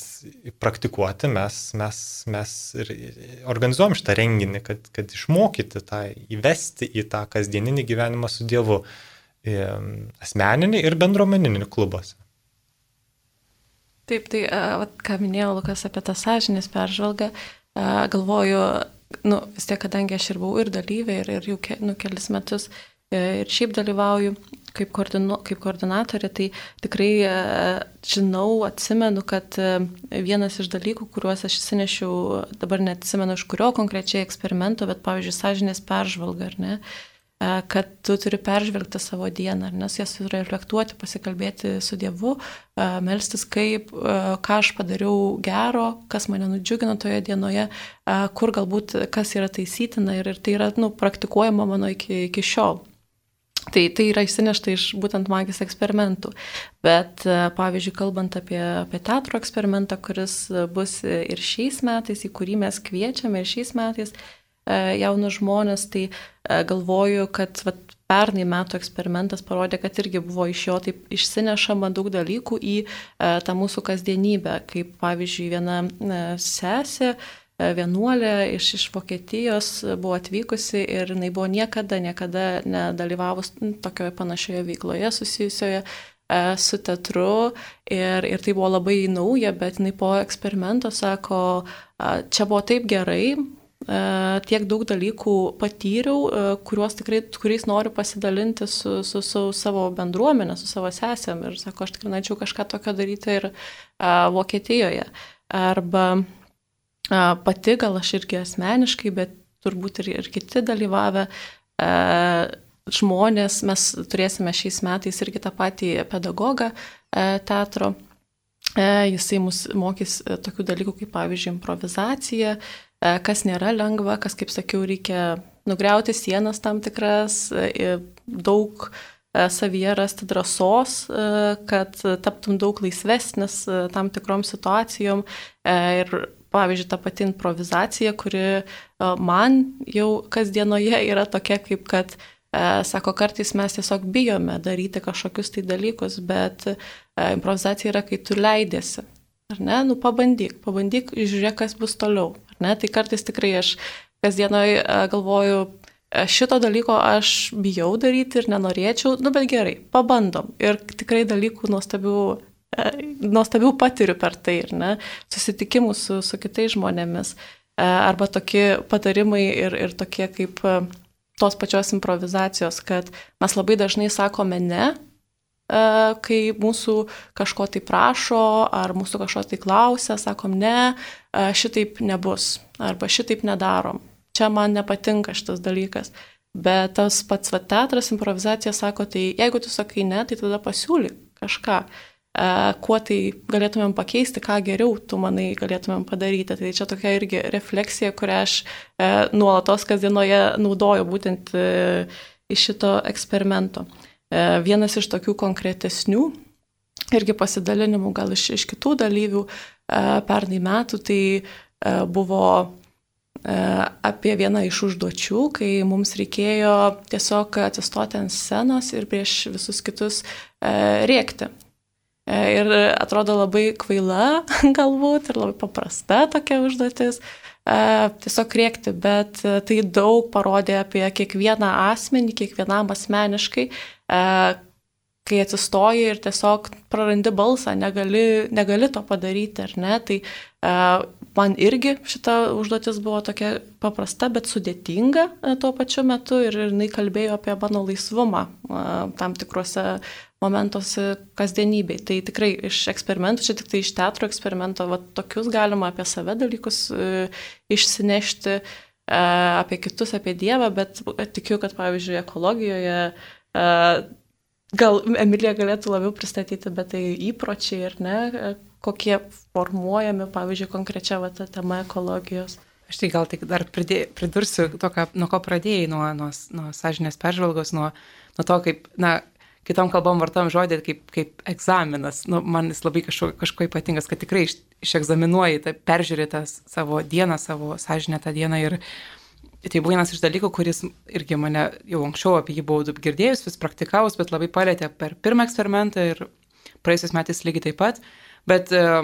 Speaker 3: praktikuoti mes, mes, mes ir organizuojam šitą renginį, kad, kad išmokyti tą, įvesti į tą kasdieninį gyvenimą su Dievu, asmeninį ir bendruomeninį klubuose.
Speaker 4: Taip, tai, vat, ką minėjo Lukas apie tą sąžinės peržvalgą, galvoju, nu, vis tiek, kadangi aš ir buvau ir dalyvė, ir, ir jau ke, nu, kelis metus ir šiaip dalyvauju kaip, koordinu, kaip koordinatorė, tai tikrai žinau, atsimenu, kad vienas iš dalykų, kuriuos aš įsinešiau, dabar neatsimenu iš kurio konkrečiai eksperimento, bet pavyzdžiui, sąžinės peržvalga, ar ne, kad tu turi peržvelgti savo dieną, ar nes jas reflektuoti, pasikalbėti su Dievu, melstis kaip, ką aš padariau gero, kas mane nudžiugino toje dienoje, kur galbūt kas yra taisytina ir, ir tai yra nu, praktikuojama mano iki, iki šiol. Tai, tai yra išsinešta iš būtent magijos eksperimentų. Bet, pavyzdžiui, kalbant apie, apie teatro eksperimentą, kuris bus ir šiais metais, į kurį mes kviečiame ir šiais metais, jaunus žmonės, tai galvoju, kad vat, pernai metų eksperimentas parodė, kad irgi buvo iš jo taip išsinešama daug dalykų į tą mūsų kasdienybę, kaip pavyzdžiui viena sesė, vienuolė iš, iš Vokietijos buvo atvykusi ir jinai buvo niekada, niekada nedalyvavus tokioje panašioje veikloje susijusioje su teatru ir, ir tai buvo labai nauja, bet jinai po eksperimento sako, čia buvo taip gerai, tiek daug dalykų patyriau, kuriuos tikrai, kuriais noriu pasidalinti su, su, su savo bendruomenė, su savo sesėm. Ir sako, aš tikrai norėčiau kažką tokio daryti ir a, Vokietijoje. Arba a, pati, gal aš irgi asmeniškai, bet turbūt ir, ir kiti dalyvavę a, žmonės, mes turėsime šiais metais irgi tą patį pedagogą a, teatro. A, jisai mus mokys a, tokių dalykų kaip, pavyzdžiui, improvizacija, kas nėra lengva, kas, kaip sakiau, reikia nugriauti sienas tam tikras, daug savyje rasti drąsos, kad taptum daug laisvesnis tam tikrom situacijom. Ir, pavyzdžiui, ta pati improvizacija, kuri man jau kasdienoje yra tokia, kaip kad, sako, kartais mes tiesiog bijome daryti kažkokius tai dalykus, bet improvizacija yra, kai tu leidėsi. Ar ne? Nu, pabandyk, pabandyk, žiūrėk, kas bus toliau. Ar ne? Tai kartais tikrai aš kasdienoj galvoju, šito dalyko aš bijau daryti ir nenorėčiau, nu, bet gerai, pabandom. Ir tikrai dalykų nuostabių, nuostabių patiriu per tai, ar ne? Susitikimų su, su kitais žmonėmis. Arba tokie patarimai ir, ir tokie kaip tos pačios improvizacijos, kad mes labai dažnai sakome ne, kai mūsų kažko tai prašo, ar mūsų kažko tai klausia, sakom, ne, šitaip nebus, arba šitaip nedarom. Čia man nepatinka šitas dalykas. Bet tas pats va, teatras, improvizacija sako, tai jeigu tu sakai ne, tai tada pasiūlyk kažką, kuo tai galėtumėm pakeisti, ką geriau tu manai galėtumėm padaryti. Tai čia tokia irgi refleksija, kurią aš nuolatos kasdienoje naudoju būtent iš šito eksperimento. Vienas iš tokių konkretesnių irgi pasidalinimų gal iš, iš kitų dalyvių pernai metų, tai buvo apie vieną iš užduočių, kai mums reikėjo tiesiog atsistoti ant scenos ir prieš visus kitus rėkti. Ir atrodo labai kvaila galbūt ir labai paprasta tokia užduotis. Tiesiog rėkti, bet tai daug parodė apie kiekvieną asmenį, kiekvienam asmeniškai, kai atsistoji ir tiesiog prarandi balsą, negali, negali to padaryti, ar ne, tai man irgi šita užduotis buvo tokia paprasta, bet sudėtinga tuo pačiu metu ir jinai kalbėjo apie mano laisvumą tam tikruose momentuose kasdienybei. Tai tikrai iš eksperimentų, čia tik tai iš teatro eksperimento, va, tokius galima apie save dalykus e, išsinešti, e, apie kitus, apie Dievą, bet tikiu, kad pavyzdžiui ekologijoje, e, gal Emilija galėtų labiau pristatyti, bet tai įpročiai ir ne, kokie formuojami, pavyzdžiui, konkrečia va, ta tema ekologijos.
Speaker 2: Aš tai gal tik dar pridė, pridursiu to, ką, nuo ko pradėjai, nuo, nuo, nuo sąžinės peržvalgos, nuo, nuo to, kaip, na, kitom kalbom vartojam žodį kaip, kaip egzaminas. Nu, man jis labai kažko, kažko ypatingas, kad tikrai iš, išegzaminuoji, tai peržiūri tą savo dieną, savo sąžinę tą dieną ir tai buvo vienas iš dalykų, kuris irgi mane jau anksčiau apie jį buvau girdėjus, vis praktikavus, bet labai palėtė per pirmą eksperimentą ir praėjusiais metais lygiai taip pat. Bet uh,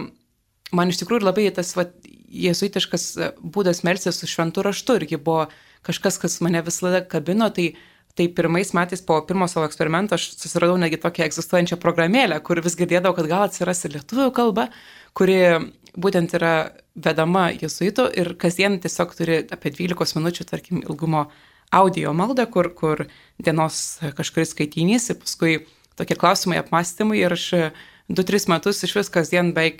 Speaker 2: man iš tikrųjų labai tas va, jėzuitiškas būdas melstis su šventu raštu irgi buvo kažkas, kas mane visada kabino. Tai, tai pirmais metais po pirmo savo eksperimento aš susiradau netgi tokią egzistuojančią programėlę, kur vis girdėdavau, kad gal atsiras ir lietuvių kalba, kuri būtent yra vedama jėzuitų ir kasdien tiesiog turi apie dvylikos minučių, tarkim, ilgumo audio maldą, kur, kur dienos kažkuris skaitinys ir paskui tokie klausimai, apmąstymai ir aš du tris metus iš vis kasdien beveik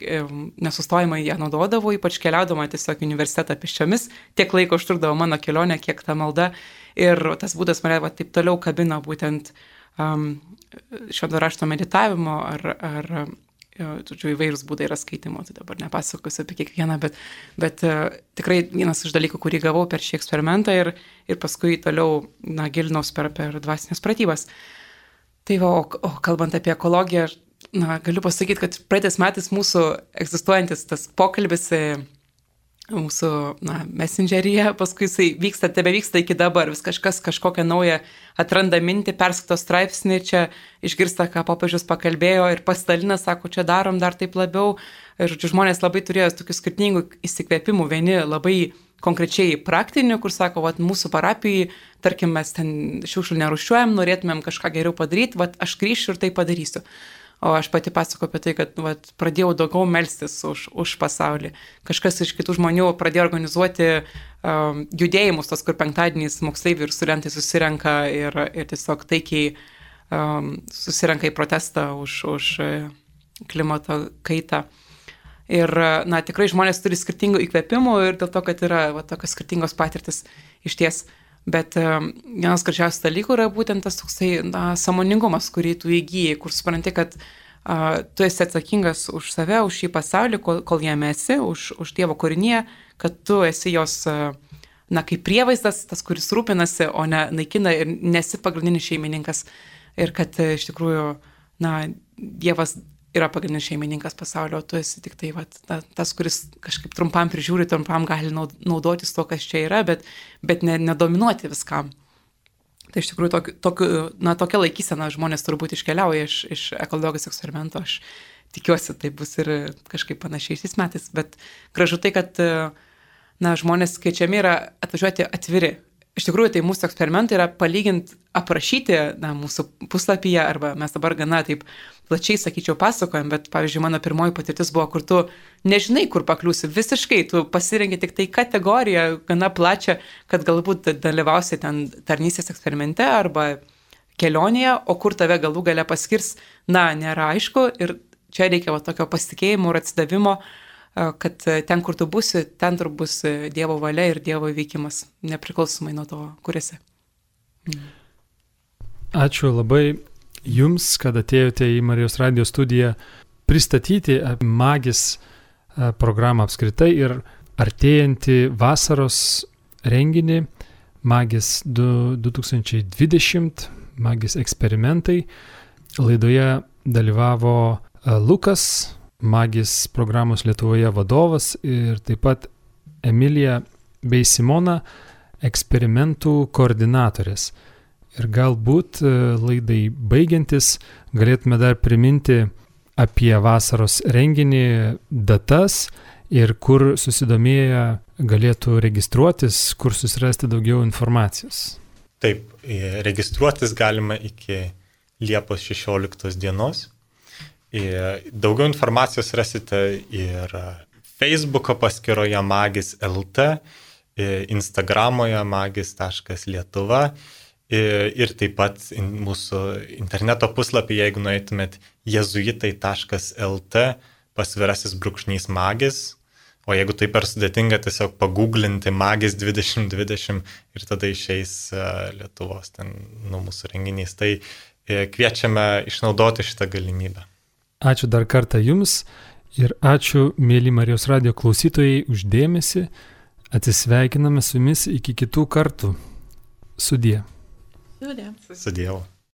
Speaker 2: nesustojimai ją naudodavau, ypač keliaudama tiesiog į universitetą pėsčiomis, tiek laiko užtrukdavo mano kelionė, kiek ta malda ir tas būdas mane va, taip toliau kabino būtent um, švento rašto meditavimo ar, ar žodžiu, įvairūs būdai yra skaitimo, tai dabar nepasakosiu apie kiekvieną, bet, bet uh, tikrai vienas iš dalykų, kurį gavau per šį eksperimentą ir, ir paskui toliau na, gilinaus per, per dvasinės pratybas. Tai va, o, o kalbant apie ekologiją, na, galiu pasakyti, kad praeitais metais mūsų egzistuojantis tas pokalbis mūsų na, messengeryje, paskui jisai vyksta, tebe vyksta iki dabar, vis kažkas kažkokią naują atranda mintį, perskaito straipsnį, čia išgirsta, ką popiežius pakalbėjo ir pasidalina, sako, čia darom dar taip labiau. Ir žmonės labai turėjo tokių skirtingų įsikvėpimų, vieni labai konkrečiai praktinių, kur sako, vat, mūsų parapijai, tarkim, mes ten šiukšlių nerūšiuojam, norėtumėm kažką geriau padaryti, vat, aš grįšiu ir tai padarysiu. O aš pati pasakoju apie tai, kad vat, pradėjau daugiau melstis už, už pasaulį. Kažkas iš kitų žmonių pradėjo organizuoti um, judėjimus, tos, kur penktadieniais moksleiviai ir studentai susirenka ir, ir tiesiog taikiai um, susirenka į protestą už, už klimato kaitą. Ir, na, tikrai žmonės turi skirtingų įkvėpimų ir dėl to, kad yra va, tokios skirtingos patirtis iš ties. Bet um, vienas gražiausių dalykų yra būtent tas toksai na, sąmoningumas, kurį tu įgyji, kur supranti, kad uh, tu esi atsakingas už save, už šį pasaulį, kol, kol jame esi, už, už Dievo kūrinyje, kad tu esi jos, uh, na, kaip prievaizdas, tas, kuris rūpinasi, o ne naikina ir nesi pagrindinis šeimininkas. Ir kad uh, iš tikrųjų, na, Dievas yra pagrindinis šeimininkas pasaulio, o tu esi tik tai vat, ta, tas, kuris kažkaip trumpam prižiūri, trumpam gali naudotis to, kas čia yra, bet, bet ne, nedominuoti viskam. Tai iš tikrųjų tokiu, tokiu, na, tokia laikysena žmonės turbūt iškeliauja iš, iš ekologijos eksperimento. Aš tikiuosi, tai bus ir kažkaip panašiai šiais metais, bet gražu tai, kad na, žmonės kviečiami yra atvažiuoti atviri. Iš tikrųjų, tai mūsų eksperimentai yra palyginti, aprašyti na, mūsų puslapyje, arba mes dabar gana taip plačiai, sakyčiau, pasakojam, bet, pavyzdžiui, mano pirmoji patirtis buvo, kur tu nežinai, kur pakliūsi visiškai, tu pasirenki tik tai kategoriją gana plačią, kad galbūt dalyvausi ten tarnystės eksperimente arba kelionėje, o kur tave galų gale paskirs, na, nėra aišku ir čia reikia va, tokio pasitikėjimo ir atsidavimo, kad ten, kur tu būsi, ten tur bus Dievo valia ir Dievo veikimas, nepriklausomai nuo to, kur esi. Mm.
Speaker 1: Ačiū labai Jums, kad atėjote į Marijos radijo studiją pristatyti Magis programą apskritai ir artėjantį vasaros renginį Magis du tūkstančiai dvidešimt, Magis eksperimentai. Laidoje dalyvavo Lukas, Magis programos Lietuvoje vadovas ir taip pat Emilija bei Simona, eksperimentų koordinatorės. Ir galbūt laidai baigiantis galėtume dar priminti apie vasaros renginį, datas ir kur susidomėję galėtų registruotis, kur susirasti daugiau informacijos.
Speaker 3: Taip, registruotis galima iki Liepos šešioliktos dienos. Daugiau informacijos rasite ir Facebooko paskyroje magis taškas el te, Instagramoje magis taškas lietuva ir taip pat mūsų interneto puslapį, jeigu nueitumėt jezuitai taškas el te, pasvirasis brūkšnys magis, o jeigu tai per sudėtinga, tiesiog paguglinti magis dvidešimt dvidešimt ir tada išeis Lietuvos ten nu, mūsų renginys. Tai kviečiame išnaudoti šitą galimybę.
Speaker 1: Ačiū dar kartą Jums Ir ačiū, mėly Marijos radijo klausytojai, uždėmesi. Atsisveikiname su jumis iki kitų kartų. Sudie.
Speaker 4: Sudie.
Speaker 3: Su Dievu.